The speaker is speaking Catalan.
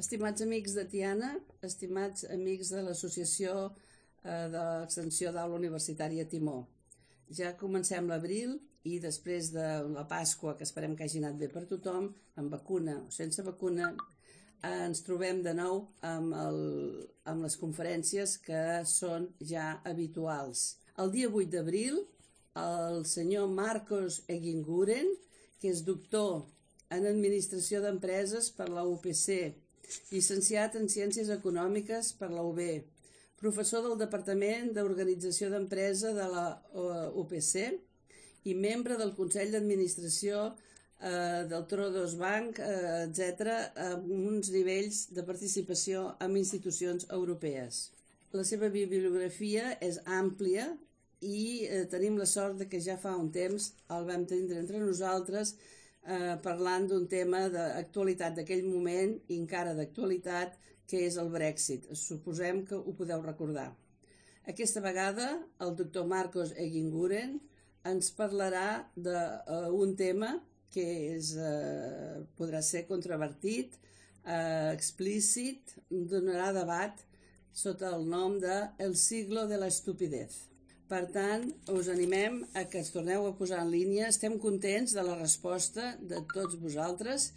Estimats amics de Tiana, estimats amics de l'Associació de l'Extensió d'Aula Universitària Timó. Ja comencem l'abril i després de la Pasqua, que esperem que hagi anat bé per tothom, amb vacuna o sense vacuna, ens trobem de nou amb les conferències que són ja habituals. El dia 8 d'abril, el senyor Marcos Eginguren, que és doctor en Administració d'Empreses per la UPC, llicenciat en Ciències Econòmiques per la UB, professor del Departament d'Organització d'Empresa de la UPC i membre del Consell d'Administració del Triodos Bank, etc., amb uns nivells de participació en institucions europees. La seva bibliografia és àmplia i tenim la sort que ja fa un temps el vam tindre entre nosaltres parlant d'un tema d'actualitat d'aquell moment i encara d'actualitat, que és el Brexit. Suposem que ho podeu recordar. Aquesta vegada el doctor Marcos Eginguren ens parlarà d'un tema que podrà ser controvertit, explícit, donarà debat sota el nom de El siglo de la estupidez. Per tant, us animem a que ens torneu a posar en línia. Estem contents de la resposta de tots vosaltres